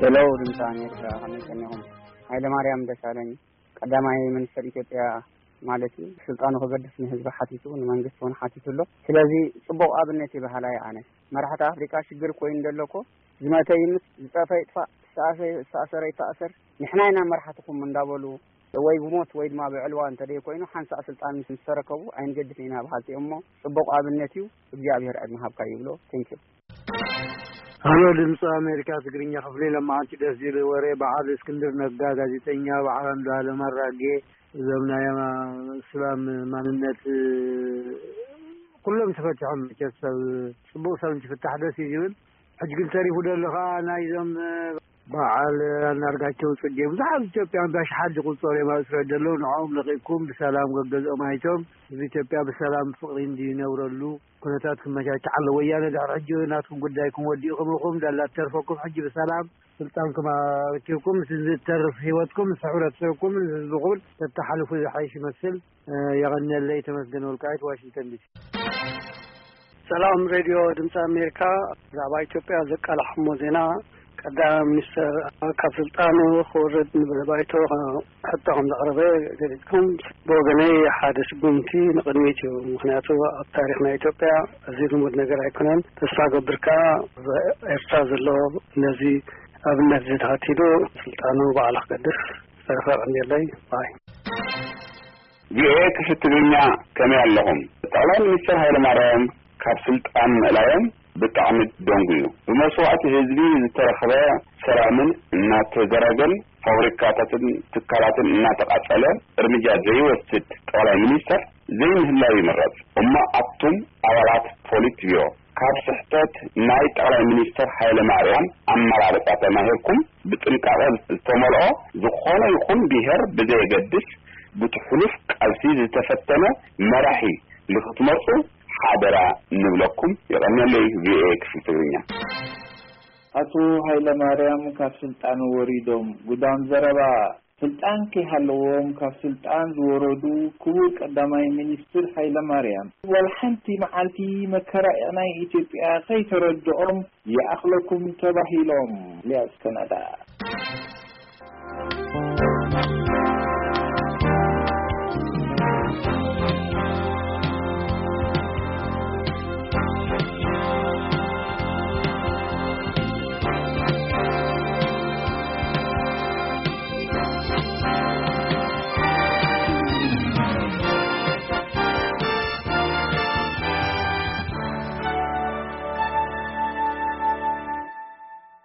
ሄሎ፣ ድምፂ ኣሜሪካ፣ ከመይ ቀኒኹም? ሃይለማርያም ደሳለኝ ቀዳማይ ሚኒስትር ኢትዮጵያ ማለት እዩ፣ ስልጣኑ ክገድፍ ንህዝቢ ሓቲቱ፣ ንመንግስቲ እውን ሓቲቱ ኣሎ። ስለዚ ፅቡቕ ኣብነት እዩ በሃላይ ኣነ። መራሕቲ ኣፍሪካ ሽግር ኮይኑ ዘሎ እኮ፣ ዝመተ ይምት፣ ዝፀፈ ይጥፋእ፣ ዝተኣሰ-፣ ዝተኣሰረ ይተኣሰር፣ ንሕና ኢና መራሕትኹም እንዳበሉ ወይ ብሞት ወይ ድማ ብዕልዋ እንተደይ ኮይኑ ሓንሳእ ስልጣን ምስ ምስ ተረከቡ ኣይንገድፍ ኢና በሃልቲ እዮም። እሞ ፅቡቕ ኣብነት እዩ። እግዚኣብሔር ዕድመ ሃብካ ይብሎ። ቴንኪዩ። ሃሎ፣ ድምፂ ኣሜሪካ ትግርኛ ክፍሊ። ለማዓንቲ ደስ ዝብል ወሬ። በዓል እስክንድር ነጋ፣ ጋዜጠኛ፣ በዓል ኣንዱዓለም ኣራጌ፣ እዞም ናይ ኣማ-፣ እስላም ማንነት ኩሎም ተፈቲሖም። መቸስ ሰብ፣ ፅቡቕ ሰብ እንትፍታሕ ደስ እዩ ዝብል። ሕጂ ግን ተሪፉ ዘሎ ከዓ ናይዞም በዓል ኣንዳርጋቸው ፅጌ፣ ብዙሓት ኢትዮጵያን ብኣሽሓት ዝቁፀሩ እዮም ኣብ እስራኤል ዘለዉ። ንዕኦም ለቂቕኩም ብሰላም ገገዝኦም ኣይቶም ህዝቢ ኢትዮጵያ ብሰላም ፍቕሪ እንዲነብረሉ ኩነታት ክመቻቸ ኣሎ። ወያነ ድሕሪ ሕጂ ናትኩም ጉዳይኩም ወዲእኩም ኢኹም። ዳላ ተርፈኩም ሕጂ ብሰላም ስልጣንኩም ኣረኪብኩም፣ እቲ ዝተርፍ ህይወትኩም ምስ ሕብረተሰብኩም፣ ምስ ህዝብኩም ተተሓልፉ ዝሓይሽ ይመስል። እ፣ የቐንየለይ። ተመስገን ወልቃይት፣ ዋሽንግተን ዲሲ። ሰላም ሬድዮ ድምፂ ኣሜሪካ፣ ብዛዕባ ኢትዮጵያ ዘቃላሕሞ ዜና፣ ቀዳማይ ሚኒስተር ካብ ስልጣኑ ክወርድ ንባይቶ ሕቶ ከም ዘቕረበ ገሊጽኩም። ብወገነይ ሓደ ስጉምቲ ንቕድሚት እዩ። ምኽንያቱ ኣብ ታሪኽ ናይ ኢትዮጵያ እዚ ልሙድ ነገር ኣይኮነን። ተስፋ ገብር ከኣ ኣብ ኤርትራ ዘሎ ነዚ ኣብነት እዚ ተኸቲሉ ስልጣኑ ባዕሉ ክገድፍ ዝተረፈ ቀንየለይ ባይ። ቪኦኤ ክፍሊ ትግርኛ፣ ከመይ ኣለኹም? ጠቕላይ ሚኒስትር ሃይለማርያም ካብ ስልጣን ምእላዮም ብጣዕሚ ደንጉዩ። ብመስዋእቲ ህዝቢ ዝተረኽበ ሰላምን እናተዘረገን ፋብሪካታትን ትካላትን እናተቓጸለ እርምጃ ዘይወስድ ጠቕላይ ሚኒስተር ዘይምህላው ይምረጽ። እሞ ኣቱም ኣባላት ፖሊት ቢሮ፣ ካብ ስሕተት ናይ ጠቕላይ ሚኒስተር ሃይለማርያም ኣመራርጻ ተማሂርኩም፣ ብጥንቃቐ ዝተመልኦ፣ ዝኾነ ይኹን ብሄር ብዘየገድስ፣ ብቲ ሕሉፍ ቃልሲ ዝተፈተነ መራሒ ንኽትመርጹ ሓደራ ንብለኩም። የቐንየለይ፣ ቪኦኤ ክፍሊ ትግርኛ። ኣቶ ሃይለማርያም ካብ ስልጣን ወሪዶም፣ ጉዳም ዘረባ። ስልጣን ከይሃለዎም ካብ ስልጣን ዝወረዱ ክቡር ቀዳማይ ሚኒስትር ሃይለማርያም፣ ዋላ ሓንቲ መዓልቲ መከራ ናይ ኢትዮጵያ ከይተረድኦም ይኣኽለኩም ተባሂሎም። ኢልያስ ከናዳ።